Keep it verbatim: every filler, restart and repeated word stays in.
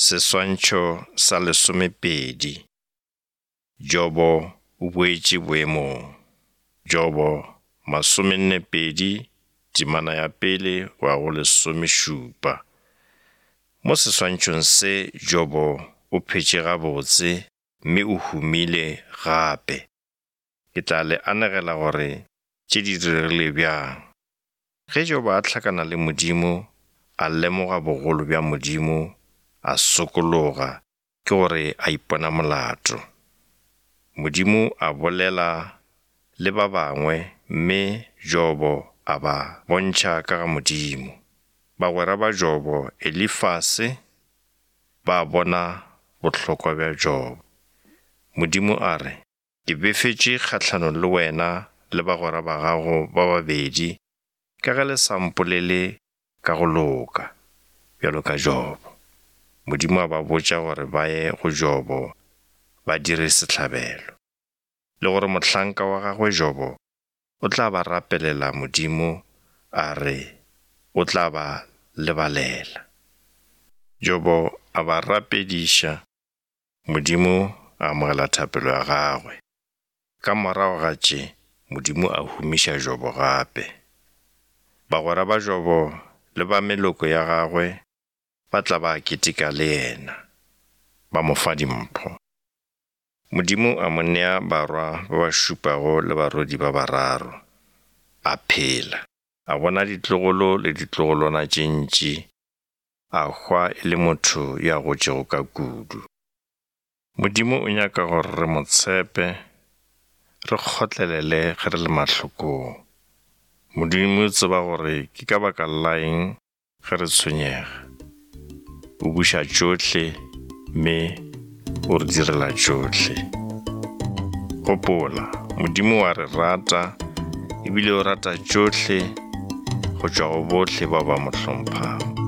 Seswantšho sa lesomepedi. Jobo o boetše boemong. Jobo masomenne pedi, temana ya pele go ya go lesomešupa. Mo seswantšhong se Jobo o phetše gabotse mme o humile gape. Ke tla le anegela gore tše di diregile bjang. Ge Jobo a hlakana le Modimo, a lemoga bogolo bja Modimo, a sokologa, ke gore a ipona molato. Modimo a bolela le ba bangwe mme Jobo a ba bontšha ka ga Modimo. Bagwera ba Jobo, Elifase, ba bona bohlokwa bja Jobo. Modimo a re, ke befetše kgahlanong le wena le bagwera ba gago ba babedi ka ge le sa mpolele ka go loka, bjalo ka Jobo. Modimo a ba botša gore ba ye go Jobo ba dire sehlabelo, le gore mohlanka wa gagwe Jobo o tla ba rapelela Modimo a re o tla ba lebalela. Jobo a ba rapediša, Modimo a amogela thapelo ya gagwe. Ka morago ga tše, Modimo a humiša Jobo gape. Bagwera ba Jobo le ba meloko ya gagwe ba tla ba keteka le yena, ba mo fa dimpho. Modimo a mo nea barwa ba ba šupago le barwedi ba bararo. A phela, a bona ditlogolo le ditlogolwana tše ntši, a hwa e le motho yo a gotšego ka kudu. Modimo o nyaka gore re mo tshepe, re kgotlelele ge re le mahlokong. Modimo o tseba gore ke ka baka la eng ge re tshwenyega. O buša tšohle mme o re direla tšohle. Gopola, Modimo wa re rata ebile o rata tšohle go tšwa go bohle ba ba mo hlomphago.